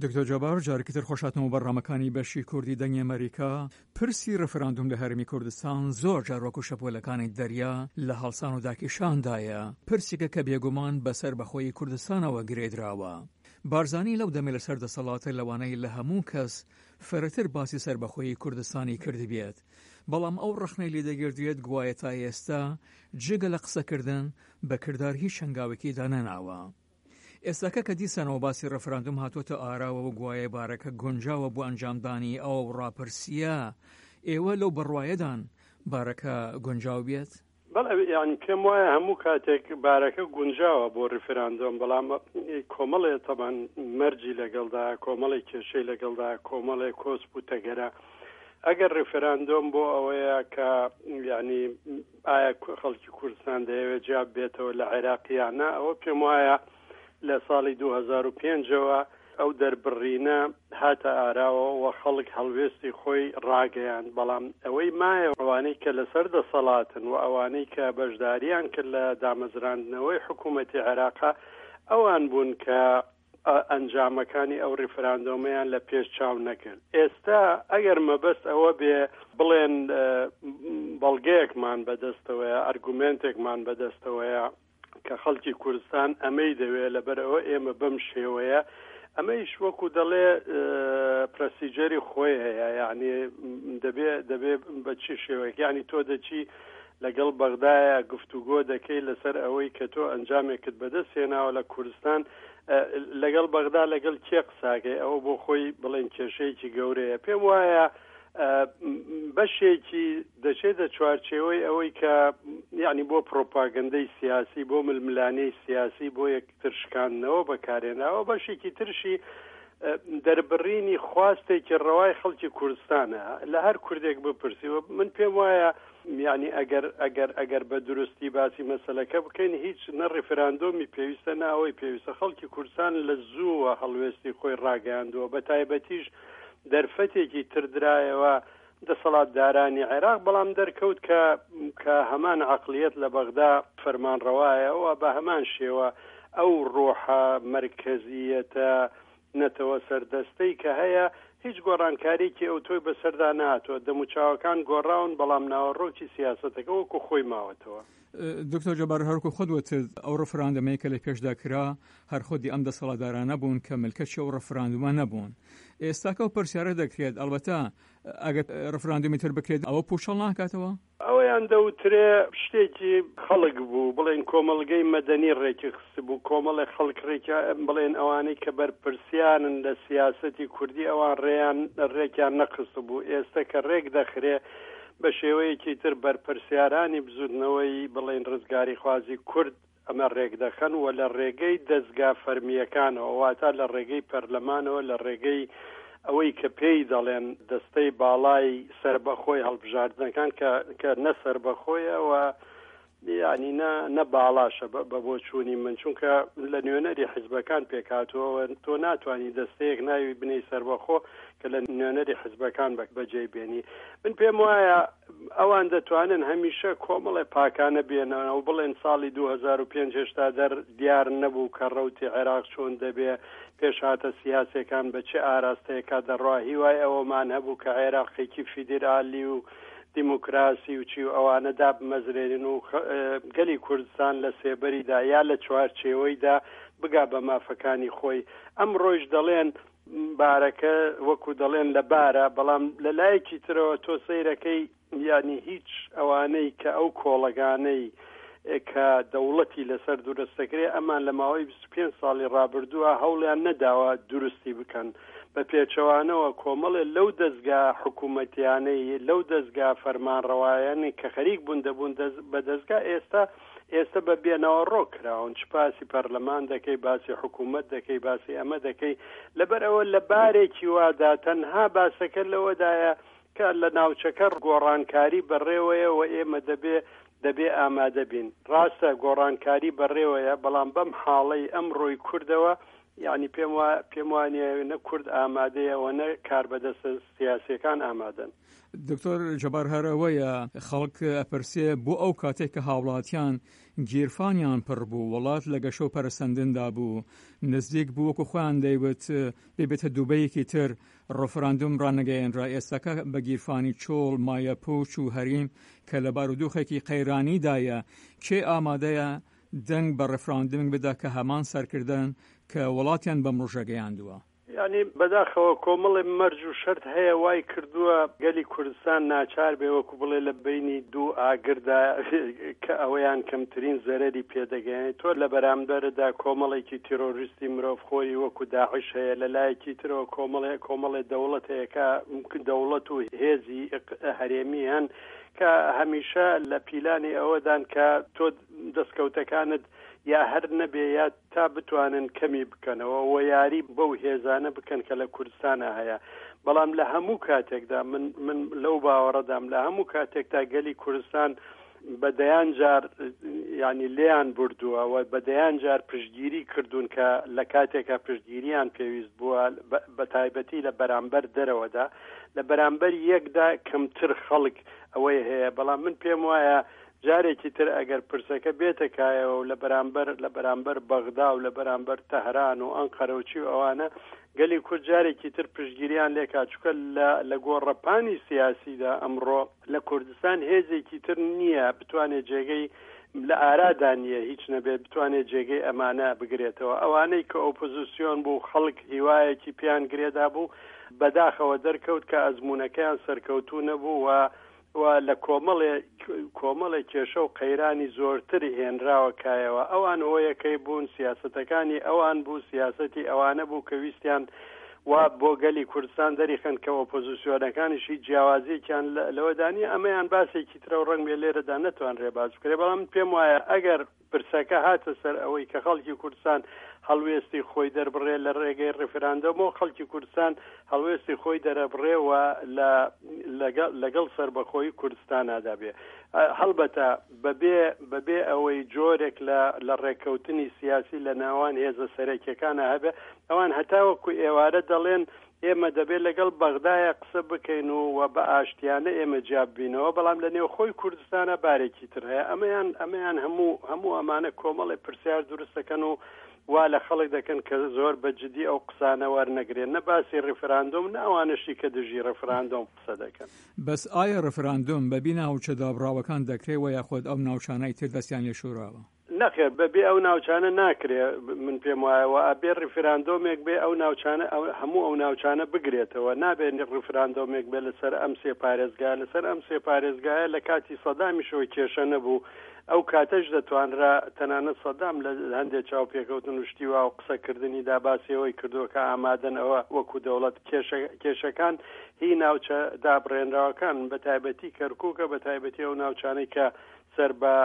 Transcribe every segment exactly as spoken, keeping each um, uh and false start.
دکتۆر جەبار، جارێکی تر خۆشهاتنەوە بەرنامەکانی بەشی کوردی دەنگی ئەمەریکا. پرسی ڕیفراندوم لە هەرێمی کوردستان زۆر جار وەکو شەپۆلەکانی دەریا لە هەڵسان و داکێشاندایە، پرسێکە کە بێگومان بە سەربەخۆیی کوردستانەوە گرێدراوە. بارزانی لەو دەمەی لەسەر دەسەڵاتە لەوانەیە لە هەموو کەس فرەتر باسی سەربەخۆیی کوردستانی کردبێت، بەڵام ئەو ڕەخنەی لێدەگیردرێت گوایە تا ئێستا جگە لە قسەکردن بە کردار هیچ هەنگاوێکی دانەناوە. ئێستاکە کە دیسانەوە باسی ڕێفراندوم هاتووەتە ئاراوە و گوایە بارەکە گونجاوە بۆ ئەنجامدانی ئەو ڕاپرسییە، ئێوە لەو بڕوایەدان بارەکە گونجاو بێت؟ بەڵێ، یانی پێم وایە هەموو کاتێک بارەکە گونجاوە بۆ ڕیفراندۆم، بەڵام کۆمەڵێ تەبان مەرجی لەگەڵدا، کۆمەڵێک کێشەی لەگەڵدا، کۆمەڵێک کۆسپ و تەگەرە. ئەگەر ڕیفراندۆم بۆ ئەوەیە کە یعنی ئایا خەڵکی کوردستان دەیەوێت جیا بێتەوە لە عێراق یان نا، ئەوە پێم وایە لە ساڵی دوو هەزار و پێنج ەوە ئەو دەربڕینە هاتە ئاراوە و خەڵک هەڵوێستی خۆی ڕاگەیاند، بەڵام ئەوەی مایە ئەوانەی کە لەسەر دەسەڵاتن و ئەوانەی کە بەشداریان کرد لە دامەزراندنەوەی حکوومەتی عێراقا ئەوان بوون کە ئەنجامەکانی ئەو ڕیفراندۆمەیان لە پێش چاو نەکرد. ئێستا ئەگەر مەبەست ئەوە بێ بڵێن بەڵگەیەکمان بەدەستەوەیە، ئەرگومێنتێکمان بەدەستەوەیە کە خەڵکی کوردستان ئەمەی دەوێت، لەبەر ئەوە ئێمە بەم شێوەیە، ئەمەیش وەکو دەڵێ پرەسیجەری خۆی هەیە، یعنی دەبێ دەبێ بە چی شێوەیەک، یعنی تۆ دەچی لەگەڵ بەغدایە گفتوگۆ دەکەی لەسەر ئەوەی کە تۆ ئەنجامێکت بەدەست هێناوە لە کوردستان، لەگەڵ بەغدا لەگەڵ کێ قساکەی، ئەوە بۆ خۆی بڵێن کێشەیەکی گەورەیە. پێم وایە بەشێکی دەچێتە چوارچێوەی ئەوەی کە یعنی بۆ پرۆپاگەندەی سیاسی، بۆ ململانێی سیاسی، بۆ یەکتر شکاندنەوە بەکارهێناوە، بەشێکی ترشی دەربڕینی خواستێکی ڕەوای خەڵکی کوردستانە. لە هەر کوردێک بپرسی، من پێم وایە یعنی ئەگەر ئەگەر ئەگەر بە دروستی باسی مەسەلەکە بکەین، هیچ نە ڕیفراندۆمی پێویستە نە ئەوەی پێویستە. خەڵکی کوردستان لە زووە هەڵوێستی خۆی ڕاگەیاندووە، بە تایبەتیش دەرفەتێکی تر درایەوە دەسەڵاتدارانی عێراق، بەڵام دەرکەوت کە کە هەمان عەقڵیەت لە بەغدا فەرمانڕەوایە و بە هەمان شێوە ئەو ڕۆحە مەرکەزیەتە نەتەوە سەردەستەی کە هەیە هیچ گۆڕانکاریکی ئەو تۆی بەسەردا نهاتووە. دەموچاوەکان گۆڕاون، بەڵام ناوەڕۆکی سیاسەتەکە وەکو خۆی ماوەتەوە. دکتۆر جەبار، هەرکو خۆت وتت ئەو ڕفراندەمەی کە لە پێشدا کرا هەر خودی ئەم دەسەڵاتدارانە بوون کە ملکەچی ئەو ڕفراندومە نەبوون. ئێستاکە ئەو پرسیارە دەکرێت، ئەلبەتە ئەگەر ڕفراندومی تر بکرێت ئەوە پوچەڵ ناکاتەوە؟ ئەوەیان دەوترێ شتێکی خەڵک بوو، بڵێن کۆمەڵگەی مەدەنی ڕێکی خستبوو، کۆمەڵێک خەڵک ڕێکیا، بڵێن ئەوانەی کە بەرپرسیارن لە سیاسەتی کوردی ئەوان ڕێیان ڕێکیان نەخستبوو. ئێستا کە ڕێک دەخرێ بە شێوەیەکی تر بەرپرسیارانی بزوتنەوەی بڵێن ڕزگاریخوازی کورد ئەمە ڕێک دەخەن و لە ڕێگەی دەزگا فەرمییەکانەوە، واتە لە ڕێگەی پەرلەمانەوە، لە ڕێگەی ئەوەی کە پێی دەڵێن دەستەی باڵای سەربەخۆی هەڵبژاردنەکان کە کە نە سەربەخۆیە و یعنی نە نە باڵاشە بە بۆچوونی من، چونکە لە نوێنەری حزبەکان پێکهاتووە، تۆ ناتوانی دەستەیەک ناوی بنەی سەربەخۆ کە لە نوێنەری حزبەکان بەجێ بێنی. من پێم وایە ئەوان دەتوانن هەمیشە کۆمەڵێ پاکانە بێنەوە و بڵێن ساڵی دوو هەزار و پێنج هێشتا دەر دیار نەبوو کە ڕەوتی عێراق چۆن دەبێ، پێشهاتە سیاسیەکان بە چه ئاراستەیەکا دەڕوا. هیوای ئەوەمان هەبوو کە عێراقێکی فیدرالی و دیموکراسی و چی و ئەوانە دابمەزرێنن و گەلی کوردستان لە سێبەریدا یا لە چوارچێوەیدا بگا بە مافەکانی خۆی. ئەمڕۆیش دەڵێن بارەکە وەکو دەڵێن لە بارە، بەڵام لە لایەکی ترەوە تۆ سەیرەکەی یعنی هیچ ئەوانەی کە ئەو کۆڵەگانەی کە دەوڵەتی لەسەر دروست دەکرێت ئەمان لە ماوەی بیست و پێنج ساڵی ڕابردووە هەوڵیان نەداوە دروستی بکەن. بە پێچەوانەوە کۆمەڵێ لەو دەزگا حکوومەتیانەی لەو دەزگا فەرمانڕەوایانەی کە خەریک بوون دەبوون بە دەزگا ئێستا ئێستا بە بێنەوەڕۆ کراون. چ باسی پەرلەمان دەکەی، باسی حکوومەت دەکەی، باسی ئەمە دەکەی. لەبەر ئەوە لە بارێکی وادا تەنها باسەکە لەوەدایە کە لە ناوچەکە گۆڕانکاری بەڕێوەیە و ئێمە دەبێ دەبێ ئامادە بین. ڕاستە گۆڕانکاری بەڕێوەیە، بەڵام بەم حاڵەی ئەمڕۆی کوردەوە یعنی پێم وا پێم وانییە نە کورد ئامادەیە و نە کاربەدەستە سیاسیەکان ئامادەن. دکتۆر جەبار، هەر ئەوەیە خەڵک ئەپرسێ بۆ ئەو کاتێک کە هاوڵاتیان گیرفانیان پڕ بوو، وڵات لە گەشە و پەرسەندندا بوو، نزیک بوو وەکو خۆیان دەیوت ببێتە دوبەیەکی تر، ڕفراندوم ڕانەگەیەنرا. ئێستاکە بە گیرفانی چۆڵ، مایە پوچ و هەریم کە لە بارودۆخێکی قەیرانیدایە، کێ ئامادەیە دەنگ بە ڕفراندومێک بدا کە هەمان سەرکردن کە وڵاتیان بەم ڕۆژە گەیاندووە؟ یعنی بەداخەوە کۆمەڵێ مەرج و شەرت هەیە وای کردووە گەلی کوردستان ناچار بێ وەکو بڵێ لە بینی دوو ئاگردا کە ئەوەیان کەمترین زەرەری پێدەگەیەنێت. تۆ لە بەرامبەردا کۆمەڵێکی تیرۆریستی مرۆڤخۆری وەکو داعش هەیە، لە لایەکی ترەوە کۆمەڵێ کۆمەڵێ دەوڵەت هەیە کە دەوڵەت و هێزی هەرێمی هەن کە هەمیشە لە پیلانی ئەوەدان کە تۆ دەستکەوتەکانت یا هەر نەبێ یا تا بتوانن کەمی بکەنەوە و یاری بەو هێزانە بکەن کە لە کوردستانە هەیە. بەڵام لە هەموو کاتێکدا من من لەو باوەڕەدام لە هەموو کاتێکدا گەلی کوردستان بە دەیان جار ینی لێیان بردووە و بە دەیان جار پشتگیری کردوون کە لە کاتێکا پشتگیریان پێویست بووە، بە تایبەتی لە بەرامبەر دەرەوەدا، لە بەرامبەر یەکدا کەمتر خەڵک ئەوەی هەیە. بەڵام من پێم وایە جارێکی تر ئەگەر پرسەکە بێتە کایەوە و لە بەرامبەر لە بەرامبەر بەغدا و لە بەرامبەر تەهران و ئەنقەرە و چی و ئەوانە گەلی کورد جارێکی تر پشتگیریان لێکا، چونکە لە گۆڕەپانی سیاسیدا ئەمڕۆ لە کوردستان هێزێکی تر نییە بتوانێت جێگەی لە ئارادا نییە هیچ نەبێت بتوانێت جێگەی ئەمانە بگرێتەوە. ئەوانەی کە ئۆپۆزیسیۆن بوو خەڵک هیوایەکی پیان گرێدا بوو، بەداخەوە دەرکەوت کە ئەزمونەکەیان سەرکەوتوو نەبوو و و لە کۆمەڵێ کۆمەڵێ کێشە و قەیرانی زۆرتر هێنراوە کایەوە. ئەوان هۆیەکەی بوون، سیاسەتەکانی ئەوان بوو، سیاسەتی ئەوانە بوو کە ویستیان وا بۆ گەلی کوردستان دەریخەن کە ئۆپۆزیسیۆنەکانیش هیچ جیاوازیەکیان لەوەدا نییە. ئەمەیان باسێکی ترە و ڕەنگ بێ لێرەدا نەتوانرێ باس بکرێ. بەڵام پێم وایە ئەگەر پرسەکە هاتە سەر ئەوەی کە خەڵکی کوردستان هەڵوێستی خۆی دەربڕێ لە ڕێگەی ڕیفراندۆمەوە، خەڵکی کوردستان هەڵوێستی خۆی دەرەبڕێ و لەگەڵ سەربەخۆی کوردستانادا بێ. هەڵبەتە بەبێ بەبێ ئەوەی جۆرێک لە لە ڕێککەوتنی سیاسی لە ناوان هێزە سەرەکیەکانە هەبێ. ئەوان هەتاوەکو ئێوارە دەڵێن ئێمە دەبێت لەگەڵ بەغدایە قسە بکەین و بە ئاشتیانە ئێمە جیاب بینەوە، بەڵام لە نێوخۆی کوردستانە بارێکی تر هەیە. ئەمەیان ئەمەیان هەموو هەموو ئەمانە کۆمەڵێ پرسیار دروست دەکەن و وا لە خەڵک دەکەن کە زۆر بە جدی ئەو قسانە وەرنەگرێن، نە باسی ڕیفراندۆم نە ئەوانەشی کە دژی ڕیفراندۆم قسە دەکەن. بەس ئایا ڕیفراندۆم بەبی ناوچە دابڕاوەکان دەکرێت و یاخود ئەو ناوچانەی تر دەستیان لێ شوراوە؟ نەخێر، بەبێ ئەو ناوچانە ناکرێ. من پێم وایە و ئەبێ ڕیفراندۆمێک بێ ئەو ناوچانە هەموو ئەو ناوچانە بگرێتەوە. نابێت ڕیفراندۆمێک بێ لەسەر ئەم سێ پارێزگا. لەسەر ئەم سێ پارێزگایە لە کاتی سەدامیشەوە کێشە نەبوو، ئەو کاتەش دەتوانرا تەنانەت سەدام لە هەندێک چاوپێکەوتن و شتی وا و قسەکردنیدا باسی ئەوەی کردووە کە ئامادەن ئەوە وەکو دەوڵەت کێشەکان هی ناوچە دابڕێنراوەکان، بە تایبەتی کەرکووکە، بە تایبەتی ئەو ناوچانەی کە سەر بە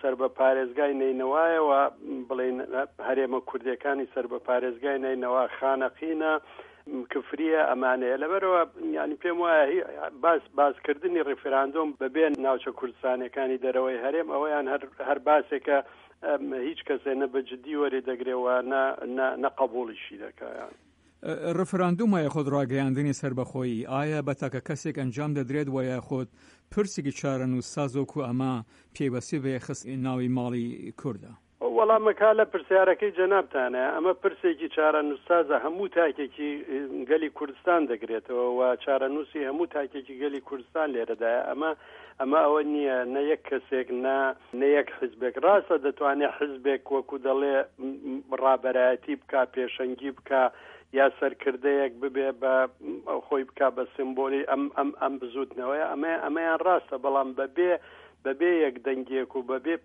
سەر بە پارێزگای نەینەوایەوە، بڵێن هەرێمە کوردیەکانی سەر بە پارێزگای نەینەوا، خانەقینە، کفریە، ئەمانەیە. لەبەرەوە یعنی پێم وایە باس باسکردنی ڕیفراندۆم بەبێ ناوچە کوردستانەکانی دەرەوەی هەرێم ئەوەیان هەر هەر باسێکە هیچ کەسێ نە بە جدی وەری دەگرێەوە نە نە قبوڵیشی دەکایان. ڕفراندوم یاخود ڕاگەیاندنی سەربەخۆیی ئایا بە تاکە کەسێک ئەنجام دەدرێت و یاخود پرسێکی چارەنووسساز وەکو ئەمە پێوەستی بە خست ناوی ماڵی کوردە؟ وەڵامەکە لە پرسیارەکەی جەنابتانە. ئەمە پرسێکی چارەنووسسازە، هەموو تاکێکی گەلی کوردستان دەگرێتەوە و چارەنووسی هەموو تاکێکی گەلی کوردستان لێرەدایە. ئەمە ئەمە ئەوە نییە نە یەک کەسێک نە نە یەک حزبێک. ڕاستە دەتوانێت حزبێک وەکو دەڵێ ڕابەرایەتی بکا، پێشەنگی بکا، یا سەرکردەیەک ببێ بە خۆی بکا بە سیمبۆلی ئەم ئەم ئەم بزوتنەوەیە. ئەمە ئەمەیان ڕاستە، بەڵام بەبێ بەبێ یەک دەنگێک و بەبێ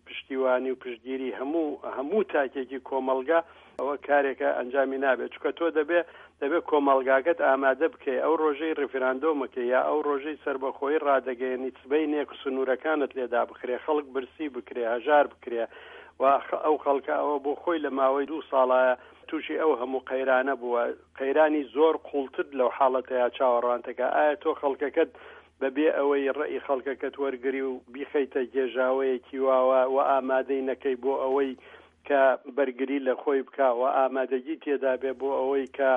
پشتیوانی و پشتگیری هەموو هەموو تاکێکی کۆمەڵگا ئەوە کارێکە ئەنجامی نابێت. چونکە تۆ دەبێ دەبێ کۆمەڵگاکەت ئامادە بکەی ئەو ڕۆژەی ڕیفراندۆمەکەی یا ئەو ڕۆژەی سەربەخۆیی ڕادەگەیەنی سبەینێک سنوورەکانت لێدا بخرێ، خەڵک برسی بکرێ، هەژار بکرێ و ئەو خەڵکە ئەوە بۆ خۆی لە ماوەی دوو ساڵایە تووشی ئەو هەموو قەیرانە بووە، قەیرانی زۆر قوڵتر لەو حاڵەتەیە چاوەڕوانتەکە. ئایا تۆ خەڵکەکەت بەبێ ئەوەی ڕێی خەڵکەکەت وەرگری و بیخەیتە گێژاوەیەکی واوە و ئامادەی نەکەی بۆ ئەوەی کە بەرگری لە خۆی بکا و ئامادەگی تێدا بێ بۆ ئەوەی کە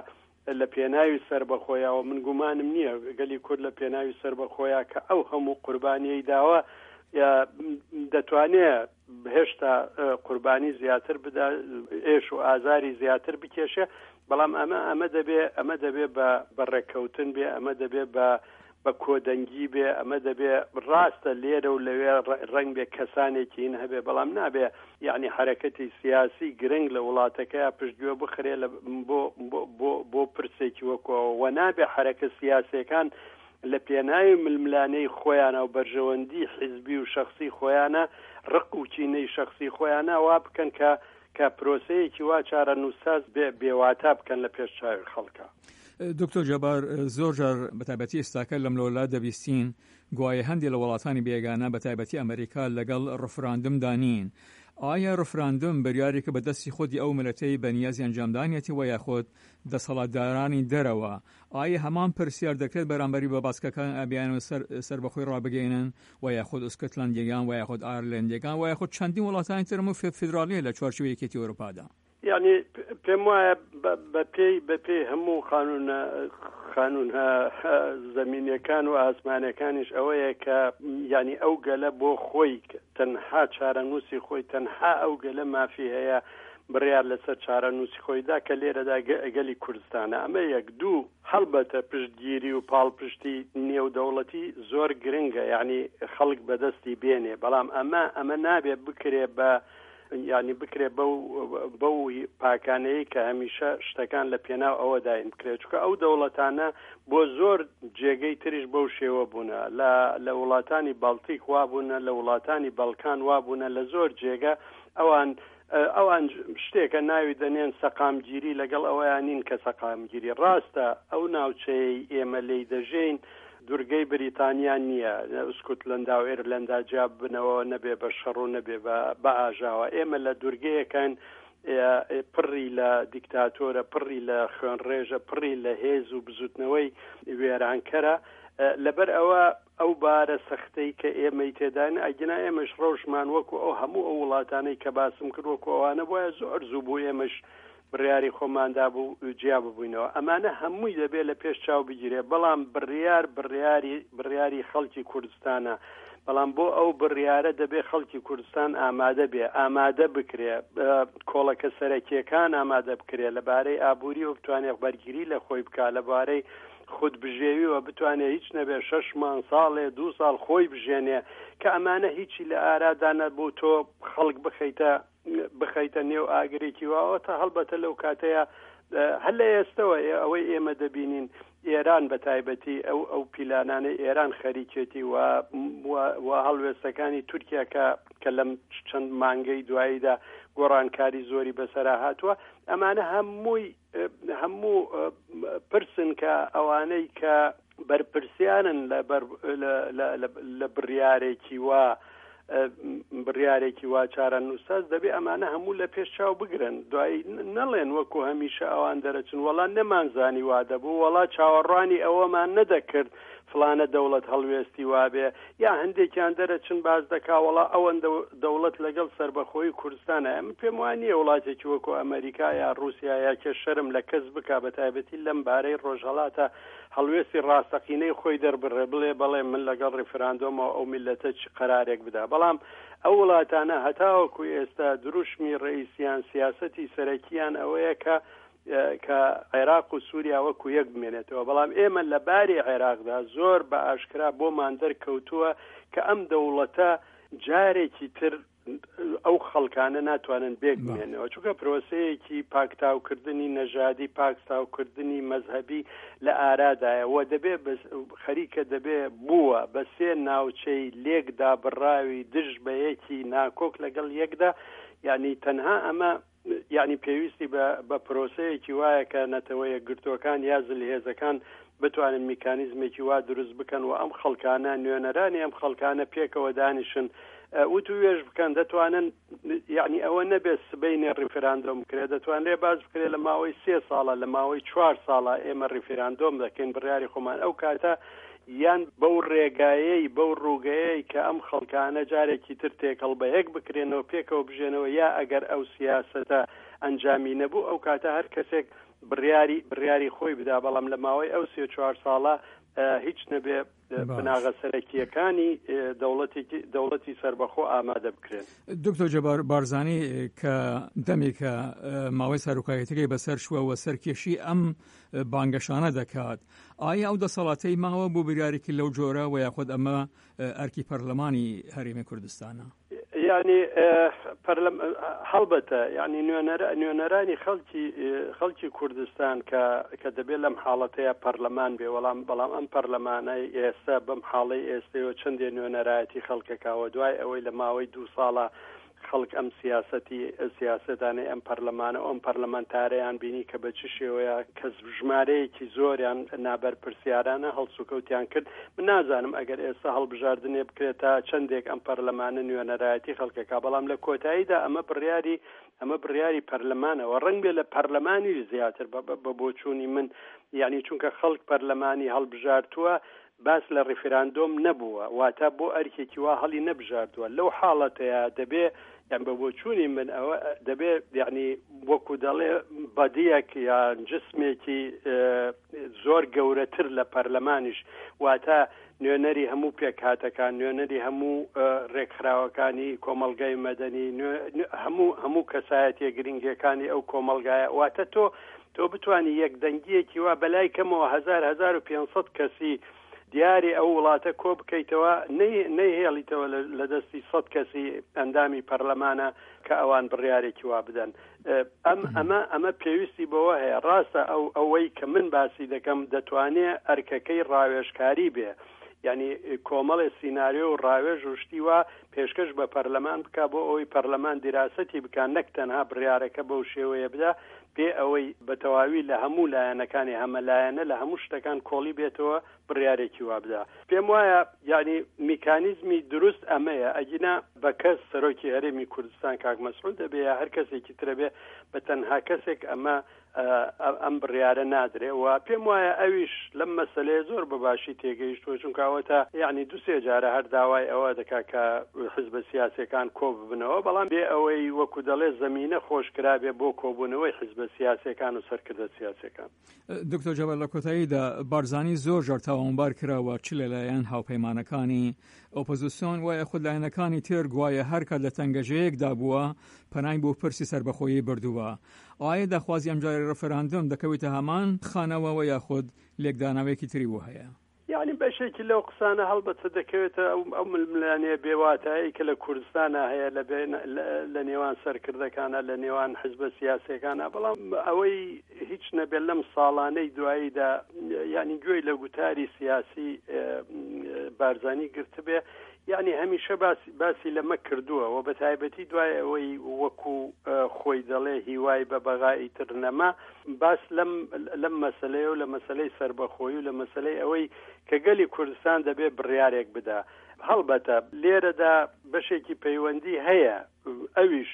لە پێناوی سەربەخۆیەوە، من گومانم نییە گەلی کورد لە پێناوی سەربەخۆیە کە ئەو هەموو قوربانیەی داوە دەتوانێت هێشتا قوربانی زیاتر بدا، ئێش و ئازاری زیاتر بکێشێ، بەڵام ئەمە ئەمە دەبێ ئەمە دەبێ بە ڕێککەوتن بێ، ئەمە دەبێ بە بە کۆدەنگی بێ، ئەمە دەبێ ڕاستە لێرە و لەوێ ڕەنگ بێ کەسانێکی هین هەبێ، بەڵام نابێ یعنی حرەکەتی سیاسی گرنگ لە وڵاتەکەی پشتگوێ بخرێ بۆ بۆ بۆ پرسێکی وەکەوە و نابێ حرەکە سیاسیەکان لە پێناوی ململانەی خۆیانە و بەرژەوەندی حیزبی و شخصی خۆیانە ڕق و چینەی شخصی خۆیانە وا بکەن کە کە پرۆسەیەکی وا چارەنووسساز بێ بێواتا بکەن لە پێش چاوی خەڵکە. دکتۆر جەبار، زۆر جار بەتایبەتی ئێستاکە لەم لەولا دەبیستین گوایە هەندێک لە وڵاتانی بێگانە بەتایبەتی ئەمریکا لەگەڵ ڕفراندمدا نین. ئایا ڕفراندم بریارێکە بە دەستی خودی ئەو ملەتەی بەنیازی ئەنجامدانیەتی وە یاخود دەسەڵاتدارانی دەرەوە؟ ئایا هەمان پرسیار دەکرێت بەرامبەری بە باسکەکان ئابیان و سەربەخۆی ڕابگەینن و یاخود ئوسکتلندیەکان و یاخود ئایرلەندیەکان و یاخود چەندین وڵاتانی ترم و فیدراڵیە لە چوارچێوەی یەکێتی ئەوروپادا؟ یعنی پێم وایە بەپێی بەپێی هەموو قانونە قانونە زەمینیەکان و ئاسمانەکانیش ئەوەیە کە یعنی ئەو گەلە بۆ خۆی تەنها چارەنووسی خۆی، تەنها ئەو گەلە مافی هەیە بڕیار لەسەر چارەنووسی خۆیدا کە لێرەدا گەلی کوردستانە. ئەمە یەک. دوو، هەڵبەتە پشتگیری و پاڵپشتی نێودەوڵەتی زۆر گرنگە، یعنی خەڵک بەدەستی بێنێ، بەڵام ئەمە ئەمە نابێ بکرێ بە یعنی بکرێ بەو بەو پاکانەیە کە هەمیشە شتەکان لە پێناو ئەوەداین بکرێت، چونکە ئەو دەوڵەتانە بۆ زۆر جێگەی تریش بەو شێوە بوونە، لە لە وڵاتانی باڵتیک وا بوونە، لە وڵاتانی بەڵکان وا بوونە، لە زۆر جێگە ئەوان ئەوان شتێکە ناوی دەنێن سەقامگیری، لەگەڵ ئەوەیان نین کە سەقامگیری ڕاستە. ئەو ناوچەیە ئێمە لێی دەژین دوورگەی بریتانیا نییە، ئوسکوتلەندا و ئێرلەندا جیا بنەوە نەبێ بە شەڕ و نەبێ بە ئاژاوە. ئێمە لە دوورگەیەکان پڕی لە دیکتاتۆرە، پڕی لە خوێنڕێژە، پڕی لە هێز و بزوتنەوەی وێرانکەرە. لەبەر ئەوە ئەو بارە سەختەی کە ئێمەی تێداین، ئەگینا ئێمەش ڕەوشمان وەکو ئەو هەموو ئەو وڵاتانەی کە باسم کرد وەکو ئەوانە بواە زۆر زوو بوو ئێمەش بڕیاری خۆماندا بوو جیا ببووینەوە. ئەمانە هەمووی دەبێت لە پێش چاو بگیرێ، بەڵام بڕیار بڕیاری بڕیاری خەڵکی کوردستانە، بەڵام بۆ ئەو بڕیارە دەبێ خەڵکی کوردستان ئامادە بێ، ئامادە بکرێ، کۆڵەکە سەرەکیەکان ئامادە بکرێ لەبارەی ئابووری و بتوانێت بەرگری لە خۆی بکا، لەبارەی خودبژێوی و بتوانێت هیچ نەبێ شەش مانگ ساڵێ دوو ساڵ خۆی بژێنێ، کە ئەمانە هیچی لە ئارادا نەبوو تۆ خەڵک بخەیتە بخەیتە نێو ئاگرێکی واوە. تا هەڵبەتە لەو کاتەیە هەر لە ئێستەوە ئەوەی ئێمە دەبینین ئێران بە تایبەتی ئەو ئەو پیلانانەی ئێران خەریکێتی و هەڵوێستەکانی تورکیا کە کە لەم چەند مانگەی دواییدا گۆڕانکاری زۆری بەسەرا هاتووە، ئەمانە هەمووی هەموو پرسن کە ئەوانەی کە بەرپرسیانن لە بڕیارێکی وا بڕیارێکی وا چارەنووسساز دەبێ ئەمانە هەموو لە پێش چاو بگرن. دوایی نەڵێن وەکو هەمیشە ئەوان دەرەچن وەڵا نەمانزانی وا دەبوو، وەڵا چاوەڕوانی ئەوەمان نەدەکرد فلانە دەوڵەت هەڵوێستی وابێ، یا هەندێکیان دەرەچن باز دەکا وەڵا ئەوەن دەوڵەت لەگەڵ سەربەخۆی کوردستانە. ئەمە پێم وان نییە وڵاتێکی وەکو ئەمریکا یا ڕووسیا یا کێ شەرم لە کەس بکا، بە تایبەتی لەم بارەی ڕۆژهەڵاتە هەڵوێستی ڕاستەقینەی خۆی دەربڕێ، بڵێ بەڵێ من لەگەڵ ڕیفراندۆمەوە ئەو میلەتە چ قەرارێک بدا. بەڵام ئەو وڵاتانە هەتاوەکو ئێستا دروشمی ڕئیسیان سیاسەتی سەرەکیان ئەوەیە کە کە عێراق و سووریا وەکو یەک بمێنێتەوە. بەڵام ئێمە لە باری عێراقدا زۆر بە ئاشکرا بۆمان دەرکەوتووە کە ئەم دەوڵەتە جارێکی تر ئەو خەڵکانە ناتوانن بێک بمێنەوە، چونکە پرۆسەیەکی پاکتاوکردنی نەژادی، پاکتاوکردنی مەزهەبی لە ئارادایە و دەبێ خەریکە دەبێ بووە بە سێ ناوچەی لێکدا بڕاوی دژ بە یەکی ناکۆک لەگەڵ یەکدا. یعنی تەنها ئەمە یعنی پێویستی بە پرۆسەیەکی وایە کە نەتەوە یەکگرتووەکان یا زلهێزەکان بتوانن میکانیزمێکی وا دروست بکەن و ئەم خەڵکانە نوێنەرانی ئەم خەڵکانە پێکەوە دانیشن وتوێژ بکەن. دەتوانن یعنی ئەوە نەبێت سبەینێ ڕیفراندۆم بکرێت، دەتوانرێت باز بکرێت لە ماوەی سێ ساڵە لە ماوەی چوار ساڵە ئێمە ڕیفراندۆم دەکەین بڕیاری خۆمان. ئەو کاتە یان بەو ڕێگایەی بەو ڕووگەیەی کە ئەم خەڵکانە جارێکی تر تێکەڵ بە یەک بکرێنەوە پێکەوە بژێنەوە، یا ئەگەر ئەو سیاسەتە ئەنجامی نەبوو ئەو کاتە هەر کەسێک بڕیاری بڕیاری خۆی بدا. بەڵام لە ماوەی ئەو سێ چوار ساڵە هیچ نەبێ بناغە سەرەکییەکانی دەوڵەتێکی دەوڵەتی سەربەخۆ ئامادە بکرێن. دکتۆر جەبار بارزانی کە دەمێکە ماوەی سەرۆکایەتەکەی بەسەر چووە و سەرکێشی ئەم بانگەشانە دەکات، ئایا ئەو دەسەڵاتەی ماوە بۆ بریارێکی لەو جۆرە و یاخود ئەمە ئەرکی پەرلەمانی هەرێمی کوردستانە؟ یعنی پەرلەم هەڵبەتە یعنی نوێنەرانی خەڵکی خەڵکی کوردستان کە کە دەبێت لەم حاڵەتەیە پەرلەمان بێ، وەڵام بەڵام ئەم پەرلەمانەی ئێستا بەم حاڵەی ئێستەوە چەندێ نوێنەرایەتی خەڵکەکەوە دوای ئەوەی لە ماوەی دوو ساڵە خەڵک ئەم سیاسەتی سیاسەتانەی ئەم پەرلەمانە ئەم پەرلەمانتارەیان بینی کە بە چ شێوەیە کەس ژمارەیەکی زۆریان نابەرپرسیارانە هەڵسوکەوتیان کرد. من نازانم ئەگەر ئێستا هەڵبژاردنێ بکرێت تا چەندێک ئەم پەرلەمانە نوێنەرایەتی خەڵکەکە، بەڵام لە کۆتاییدا ئەمە بڕیاری ئەمە بڕیاری پەرلەمانەوە، ڕەنگ بێ لە پەرلەمانیش زیاتر بە بۆچوونی من، یعنی چونکە خەڵک پەرلەمانی هەڵبژارتووە باس لە ڕیفراندۆم نەبووە، واتە بۆ ئەرکێکی وا هەڵی نەبژاردووە. لەو حاڵەتەیە دەبێ یان بە بۆچوونی من ئەوە دەبێ یعنی وەکو دەڵێ بەدیەک یان جسمێکی زۆر گەورەتر لە پەرلەمانیش، واتە نوێنەری هەموو پێکهاتەکان، نوێنەری هەموو ڕێکخراوەکانی کۆمەڵگای مەدەنی، هەموو هەموو کەسایەتیە گرنگەکانی ئەو کۆمەڵگایە، واتە تۆ تۆ بتوانی یەکدەنگیەکی وا بەلای کەمەوە هەزار هەزار و پێنجسەد کەسی دیاری ئەو وڵاتە کۆ بکەیتەوە، نەیهێڵیتەوە لە دەستی سەد کەسی ئەندامی پەرلەمانە کە ئەوان بڕیارێکی وا بدەن. ئەم ئەمە ئەمە پێویستی بەوە هەیە. ڕاستە ئەو ئەوەی کە من باسی دەکەم دەتوانێت ئەرکەکەی ڕاوێژکاری بێ، یعنی کۆمەڵێ سیناریۆ و ڕاوێژ و شتی وا پێشکەش بە پەرلەمان بکە بۆ ئەوەی پەرلەمان دیراسەتی بکە، نەک تەنها بڕیارەکە بەو شێوەیە بدا پێ ئەوەی بە تەواوی لە هەموو لایەنەکانی هەمەلایەنە لە هەموو شتەکان کۆڵی بێتەوە بڕیارێکی وا بدا. پێم وایە یعنی میکانیزمی دروست ئەمەیە، ئەگینا بە کەس سەرۆکی هەرێمی کوردستان کاک مەسعود دەبێ یا هەر کەسێکی ترە بێ بە تەنها کەسێک ئەمە ئەم بڕیارە نادرێ. و پێم وایە ئەویش لەم مەسلەیە زۆر بەباشی تێگەیشتووە، چونکە ئەوەتا یعنی دوو سێ جارە هەر داوای ئەوە دەکا کە حزبە سیاسیەکان کۆ ببنەوە، بەڵام بێ ئەوەی وەکو دەڵێ زەمینە خۆشکرابێ بۆ کۆبوونەوەی حزبە سیاسیەکان و سەرکردە سیاسیەکان. دکتۆر جەبار، لە کۆتاییدا بارزانی زۆر جار تاوانبار کراوە چ لەلایەن هاوپەیمانەکانی ئۆپۆزیسیۆن وایە خود لایەنەکانی تر گوایە هەر کات لە تەنگەژەیەکدا بووە پەنای بۆ پرسی سەربەخۆیی بردووە. ئایا داخوازی ئەمجارەی ڕفراندۆم دەکەوێتە هەمان خانەوە یاخود لێکدانەوەیەکی تری بۆ هەیە؟ یعنی بەشێکی لەو قسانە هەڵبەتە دەکەوێتە ئەو ململانێ بێواتایی کە لە کوردستانە هەیە لە نێوان سەرکردەکانە، لە نێوان حزبە سیاسیەکانە. بەڵام ئەوەی هیچ نەبێت لەم ساڵانەی دواییدا یعنی گوێی لە گوتاری سیاسی بارزانی گرتبێ، یعنی هەمیشە باسی باسی لەمە کردووە و بە تایبەتی دوای ئەوەی وەکو خۆی دەڵێ هیوای بە بەغایی تر نەما، باس لەم لەم مەسلەیە و لە مەسلەی سەربەخۆیی و لە مەسلەی ئەوەی کە گەلی کوردستان دەبێ بڕیارێک بدا. هەڵبەتە لێرەدا بەشێکی پەیوەندی هەیە، ئەویش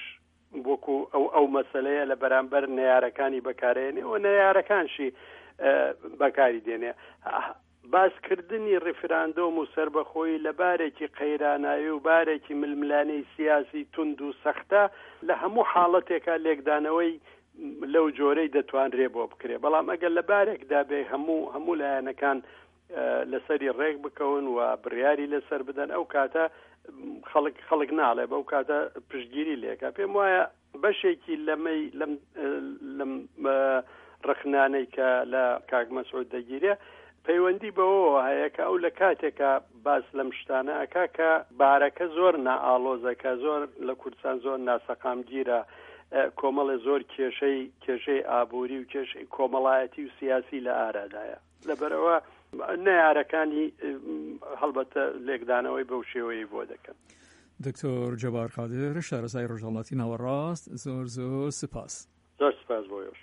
وەکو ئەو ئەو مەسلەیە لە بەرامبەر نەیارەکانی بەکارێنێ و نەیارەکانشی بەکاری دێنێ. باسکردنی ڕیفراندۆم و سەربەخۆیی لە بارێکی قەیرانایی و بارێکی ململانەی سیاسی توند و سەختە لە هەموو حاڵەتێکا لێکدانەوەی لەو جۆرەی دەتوانرێ بۆ بکرێ. بەڵام ئەگەر لە بارێکدا بێ هەموو هەموو لایەنەکان لەسەری ڕێک بکەون و بڕیاری لەسەر بدەن، ئەو کاتە خەڵک خەڵک ناڵێ، بەو کاتە پشتگیری لێکە. پێم وایە بەشێکی لەمەی لەم لەم ڕخنانەی کە لە کاک مەسعود دەگیرێ پەیوەندی بەوەوە هەیە کە ئەو لە کاتێکە باس لەم شتانە ئەکا کە بارەکە زۆر نائاڵۆزە، کە زۆر لە کوردستان زۆر ناسەقامگیرە، کۆمەڵێ زۆر کێشەی کێشەی ئابووری و کێشەی کۆمەڵایەتی و سیاسی لە ئارادایە. لەبەرەوە نەیارەکانی هەڵبەتە لێکدانەوەی بەو شێوەیە بۆ دەکەن. دکتۆر جەبار قادر، شارەزای ڕۆژهەڵاتی ناوەڕاست، زۆر زۆر سپاس. زۆر سپاس بۆ ئێوەش.